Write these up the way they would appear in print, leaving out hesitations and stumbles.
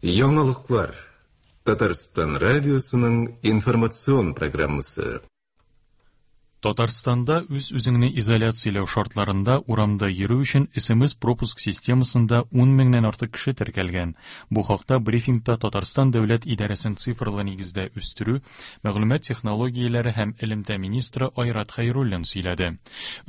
Яңалыклар. Татарстан радиосының информацион программасы. Татарстанда үз-үзеңне изоляцияләү шартларында урамда йөрү өчен СМС-пропуск системасында 10 меңнән артык кеше теркәлгән. Бу хакта брифингта Татарстан дәүләт идарәсен цифрлы нигездә үстерү, мәгълүмат технологияләре һәм элемтә министры Айрат Хәйруллин сөйләде.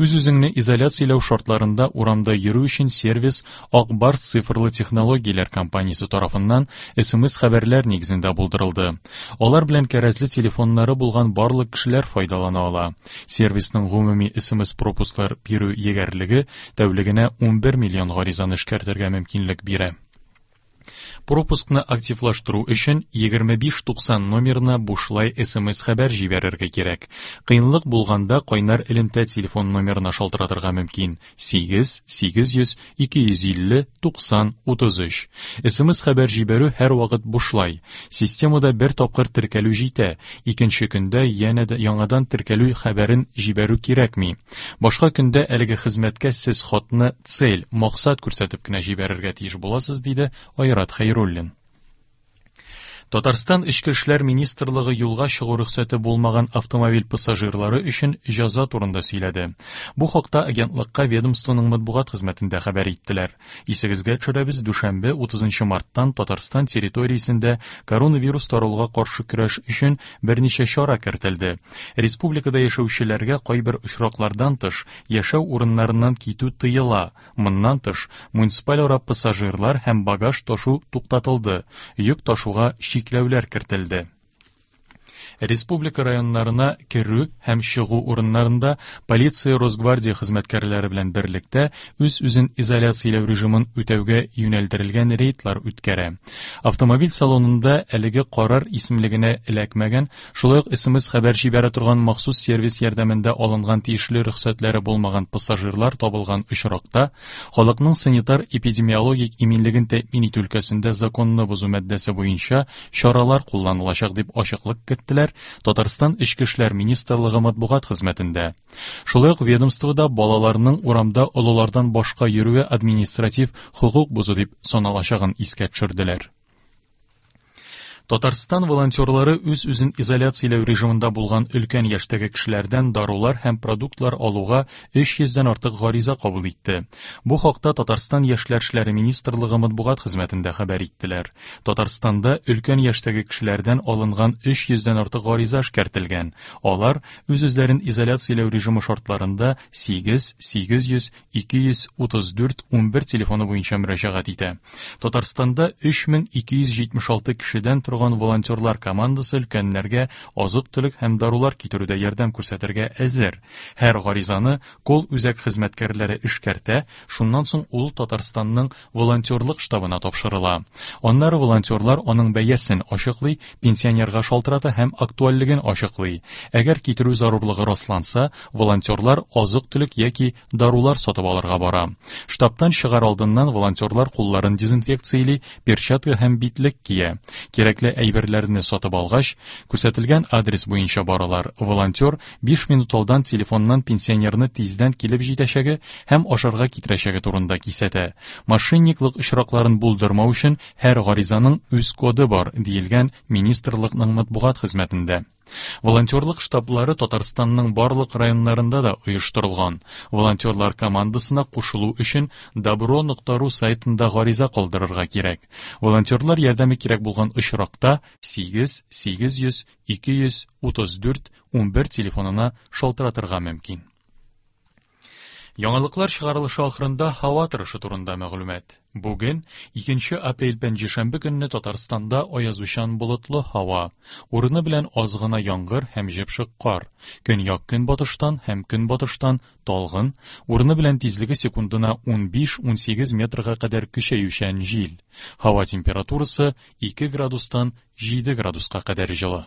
Үз-үзеңне изоляцияләү шартларында урамда йөрү өчен сервис Ак Барс цифрлы технологияләр компаниясе тарафыннан СМС-хәбәрләр нигезендә булдырылды. Алар белән кәрәзле телефоннары булган барлык кешеләр файдалана ала. Сервисның гомуми СМС-пропусклар бирү егәрлеге тәүлегенә 11 миллион гаризаны эшкәртергә мөмкинлек бирә. Пропускны активлаштыру өчен 2590 номерына бушлай СМС-хәбәр җибәрергә кирәк. Кыенлык булганда кайнар элемтә телефон номерына шалтыратырга мөмкин. 8 800 250 90 33. СМС-хәбәр җибәрү һәрвакыт бушлай. Системада бер тапкыр теркәлү җитә, икенче көндә янә дә яңадан теркәлү хәбәрен җибәрү кирәкми. Башка көндә әлеге хезмәткә сез хатны цель, максат күрсәтеп кенә җибәрергә тиеш буласыз, диде Айрат Хәйруллин. Татарстан Эчке эшләр министрлыгы юлга чыгу рөхсәте булмаган автомобиль пассажирлары өчен җәза турында сөйләде. Бу хакта агентлыкка ведомствоның матбугат хезмәтендә хәбәр иттеләр. Исегезгә төшерәбез, дүшәмбе, 30 марттан Татарстан территориясендә коронавирус таралуга каршы көрәш өчен берничә чара кертелде. Республикада яшәүчеләргә кайбер очраклардан тыш, яшәү урыннарыннан китү тыела. Моннан тыш, муниципальара пассажирлар һәм багаж ташу туктатылды, йөк ташуга чикләүләр кертелде. Республика районнарына керү һәм чыгу урыннарында полиция Росгвардия хезмәткәрләре белән берлектә үз-үзен изоляцияләү режимын үтәүгә юнәлдерелгән рейдлар үткәрә. Автомобиль салонында әлеге карар исемлегенә эләкмәгән, шулай ук СМС-хәбәр җибәрә торган махсус сервис ярдәмендә алынган тиешле рөхсәтләре булмаган пассажирлар табылган очракта, халыкның санитар-эпидемиологик иминлеген тәэмин итү өлкәсендә законны бозу маддәсе буенча чаралар кулланылачак, дип ачыклык керттеләр Татарстан Эчке эшләр министрлыгы матбугат хезмәтендә. Шулай ук ведомствода балаларның урамда олылардан башка йөрүе административ хокук бозу дип саналачагын искә төшерделәр. Татарстан волонтерлары үз-үзен изоляцияләү режимында булган өлкән яшьтәге кешеләрдән дарулар һәм продуктлар алуга 300 дән артык гариза кабул итте. Бу хакта Татарстан Яшьләр эшләре министрлыгы матбугат хезмәтендә хәбәр иттеләр. Татарстанда өлкән яшьтәге кешеләрдән алынган 300 дән артык гариза эшкәртелгән. Алар үз-үзләрен изоляцияләү режимы шартларында 8 800 234 11 телефоны буенча мөрәҗәгать итә. Татарстанда 3276 кешедән торган волонтерлар командасы өлкәннәргә азык-төлек һәм дарулар китерүдә ярдәм күрсәтергә әзер. Һәр гаризаны колл-үзәк хезмәткәрләре эшкәртә, шуннан соң ул Татарстанның волонтерлык штабына тапшырыла. Аннары волонтерлар аның бәясен ачыклый, пенсионерга шалтырата һәм актуальлеген ачыклый. Әгәр китерү зарурлыгы расланса, волонтерлар азык-төлек яки дарулар сатып алырга бара. Штабтан чыгар алдыннан волонтерлар кулларын дезинфекцияли, перчатка һәм битлек кия. Кирәкле әйберләрне сатып алгач, күрсәтелгән адрес буенча баралар. Волонтер 5 минут алдан телефоннан пенсионерны тиздән килеп җитәчәге һәм ашарга китерәчәге турында кисәтә. Мошенниклык очракларын булдырмау өчен һәр гаризаның үз коды бар, диелгән министрлыкның матбугат хезмәтендә. Волонтерлык штаблары Татарстанның барлык районнарында да оештырылган. Волонтерлар командасына кушылу өчен добро.ру сайтында гариза калдырырга кирәк. Волонтерлар ярдәме кирәк булган очракта 8 800 234 11 телефонына шалтыратырга мөмкин. Яңалыклар чыгарылышы ахырында һава торышы турында мәгълүмат. Бүген, 2 апрель пәнҗешәмбе көнне Татарстанда аязучан болытлы һава. Урыны белән аз гына яңгыр һәм җепшек кар. Көньяк-көнбатыштан һәм көнбатыштан талгын, урыны белән тизлеге секундына 15-18 метрга кадәр көчәючән җил. Һава температурасы 2 градустан 7 градуска кадәр җылы.